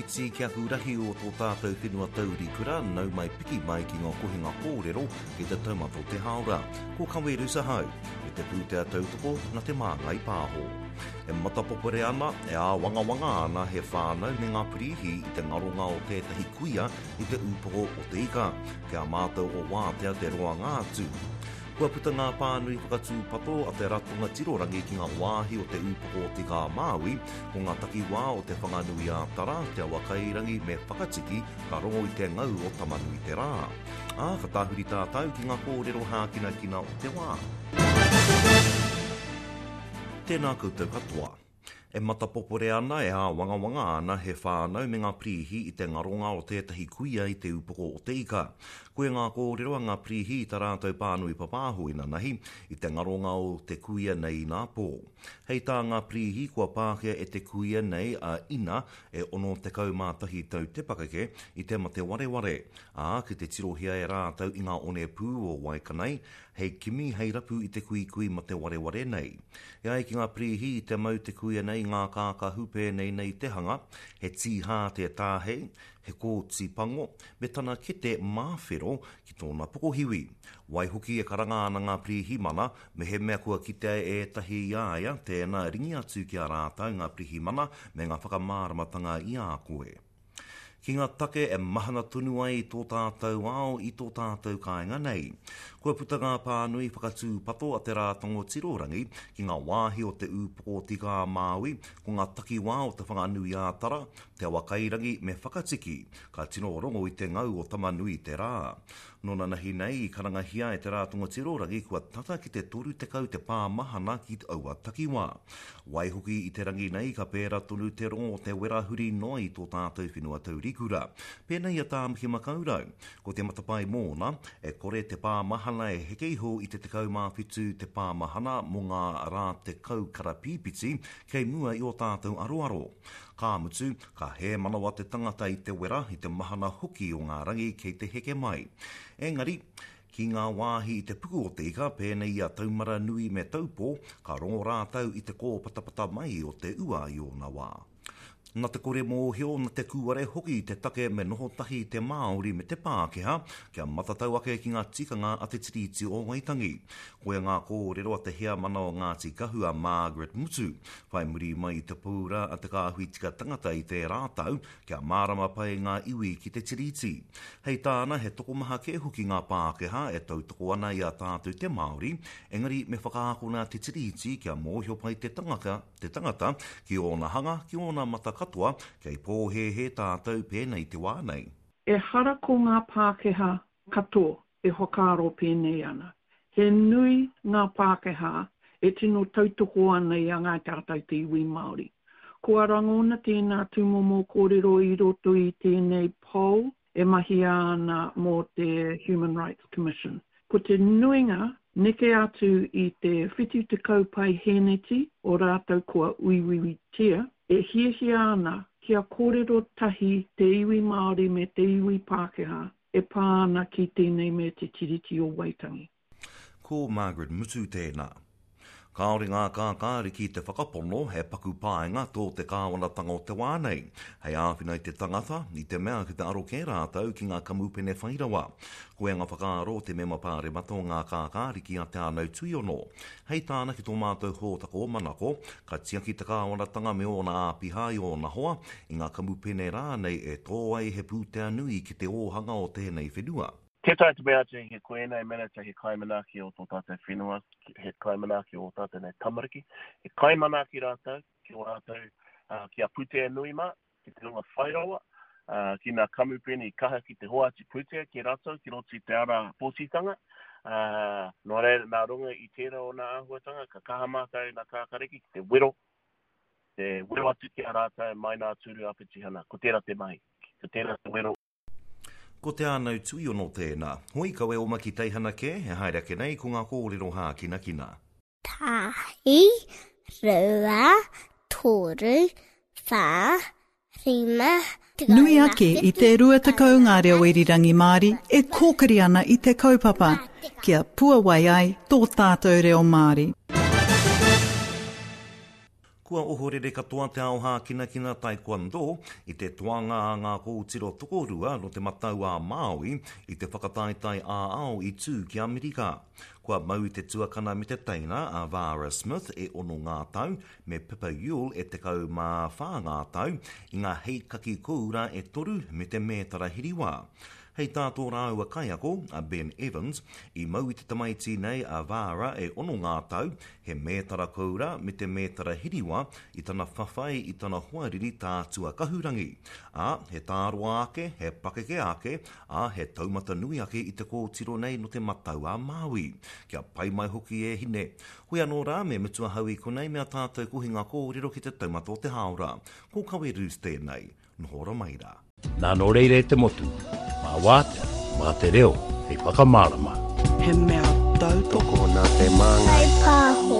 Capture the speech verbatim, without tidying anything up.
iti, ki aku rahi o tō tātou whenua taurikura, nau mai piki mai ki ngā kohinga kōrero ki te taumata o te hāora. Ko Kaweru Sahau, me te pūtea tautoko na Te Māngai Pāho. E matapopore ana, e āwangawanga ana he whānau me ngā pirīhi i te ngaronga o tētahi kuia i te ūpoko o te ika, kia mātou o wātea te roanga atu. Kua puta ngā pānui whakatūpato a te ratonga tirorangi ki ngā wāhi o te ūpoko o Te Ika-a-Māui, ko ngā takiwā o Te Whanganui-ā-Tara, Te Awakairangi me Whakatiki ka rongo i te ngau o Tamanui-te-rā. Ā, ka tāhuri tātou ki ngā kōrero hākinakina o te wā. Tēnā koutou katoa. E matapopore ana, e āwangawanga ana he whānau me ngā pirīhi i te ngaronga o tētahi kuia i te ūpoko o te ika. Koia ngā kōrero a ngā pirīhi i tā rātou pānui papāho inanahi, i te ngaronga o te kuia nei inā pō. Hei tā ngā pirīhi kua pākia e te kuia nei a Ina e ono tekau mā tahi tau te pakeke i te mate wareware, ā, ki te tirohia e rātou i ngā onepū o Waikanae, hei kimi, hei rapu i te kuikui mate wareware nei. E ai ki ngā pirīhi i te mau te kuia nei i ngā kākahu pēnei nei te hanga, he tīhā te tāhei, he kōti pango, me tana kete māwhero ki tōna pokohiwi. Waihoki e karanga ana ngā pirihimana, mehemea kua kitea e ētahi i a ia, tēnā ringi atu ki a rātou ngā pirihimana me ngā whakamāramatanga i a koe. Ki ngā take e mahana tonu ai tō tātou ao i tō tātou kāinga nei. Kua puta ngā pānui whakatūpato a te Rātongo Tirorangi ki ngā wāhi o te ūpoko o Te Ika-a-Māui, ko ngā takiwā o Te Whanganui-ā-Tara, Te Awakairangi me Whakatiki, ka tino rongo i te ngau o Tamanui-te-rā. Nō nanahi nei i karangahia e te Rātonga Tirorangi kua tata ki te toru tekau te pā mahana ki aua takiwā. Waihoki i te rangi nei ka pērā tonu te rongo o te wera huri noa i tō tātou whenua taurikura. Pēnei i a Tāmaki Makaurau, ko te matapae mōna, e kore te pā mahana e heke iho i te tekau mā whitu te pā mahana mō ngā rā tekau karapīpiti kei mua i ō tātou aroaro. Ka mutu, ka hēmanawa te tangata i te wera, i te mahana hoki o ngā rangi kei te heke mai. Engari, ki ngā wāhi i te puku o te ika, pēnei i a Taumaranui me Taupō, ka rongo rātou i te kōpatapata mai o te ua i ōna wā. Na te kore mōhio, na te kūare hoki te take me noho tahi te Māori me te Pākehā kia matatau ake ki ngā tikanga a te Tiriti o Waitangi. Koia ngā kōrero a te heamana o Ngāti Kahu a Margaret Mutu, whai muri mai i te pūra a te kāhui tika tangata i tērā tau kia mārama pai ngā iwi ki te Tiriti. Hei tāna he tokomaha kē hoki ngā Pākehā e tautoko ana i a tātou te Māori, engari me whakaakona te Tiriti kia mōhio pai te tangata, te tangata ki ōna hanga, ki ōna mata katoa, kei pōhēhē tātou pēnei te wā nei. Ehara ko ngā Pākehā katoa e whakaaro pēnei ana. He nui ngā Pākehā e tino tautoko ana i a ngāi tātou te iwi Māori. Kua rangona tēnā tūmomo kōrero i roto i tēnei poll e mahia ana mō te Human Rights Commission. Ko te nuinga neke atu i te whitu tekau paihēneti o rātou kua uiuitia, e hiahia ana kia kōrero tahi te iwi Māori me te iwi Pākehā e pā ana ki tēnei me te Tiriti o Waitangi. Ko Margaret Mutu tēnā. Kāore ngā kākāriki te whakapono he paku painga tō te kāwanatanga o te wā nei, hei āwhina i te tangata, i te mea ki te aro kē rātou ki ngā kamupene whairawa. Koia ngā whakaaro o te mema pāremata o ngā kākāriki a Te Ānau Tuiono. Hei tāna ki tō mātou hōtaka o Manako, ka tiaki te kāwanatanga me ōna āpiha i ōna hoa, i ngā kamupene rānei e tō ai he pūtea nui ki te ōhanga o tēnei whenua. Tē taea te mea atu he ko ēnei minita he kaimanaaki o tō tātou whenua, he kaimanaaki o tātou nei tamariki, he kaimanaaki rātou ki o rātou, ki a pūtea nui mā, ki te hunga whairawa, ki ngā kamupene i kaha ki te hoatu pūtea ki rātou ki roto i te ara pōtitanga. Nō reira, nā runga i tērā o ngā āhuatanga, ka kaha mātou nā Kākariki ki te wero, te wero atu ki a rātou mai nā tūru ā-petihana. Ko tērā te mahi, ko tērā te wero. Ko Te Ānau Tuiono tēnā. Hoi kawe oma ki teihana kē, e haere ake nei ko ngā kōrero hākinakina. Tahi, rua, toru, whā, rima, tekau Nui ake i te rua tekau ngā reo irirangi Māori e kōkiri ana i te kaupapa, kia puawai ai tō tātou reo Māori. Kua ohorere katoa te ao hākinakina taekwondo i te toanga a ngā kōtiro tokorua nō Te Matau a Māui i te whakataetae ā-ao i tū ki Amerika. Kua mau i te tuakana me te teina a Vara Smith e ono ngā tau, me Pippa Yule e tekau mā whā ngā tau, i ngā heikaki kōura e toru me te mētara hiriwā. Hei tā tō rāua kaiako, a Ben Evans, i mau i te tamaiti nei a Vara e ono ngā tau, he mētara koura me te mētara hiriwa i tana whawhai i tana hoariri tātua kahurangi. Ā, he tāroa ake, he pakeke ake, ā, he taumata nui ake i te kōtiro nei nō Te Matau a Māui. Kia pai mai hoki e hine. Hoi anō rā, me mutu ahau i konei me a tātou kohinga kōrero ki te taumata o te hāora. Ko Kawe Roos tēnei. Noho ora mai rā. Nā nō reira e te motu, mā wātea, mā te reo, hei whakamārama. He mea tautoko nā te māngai. Pāho.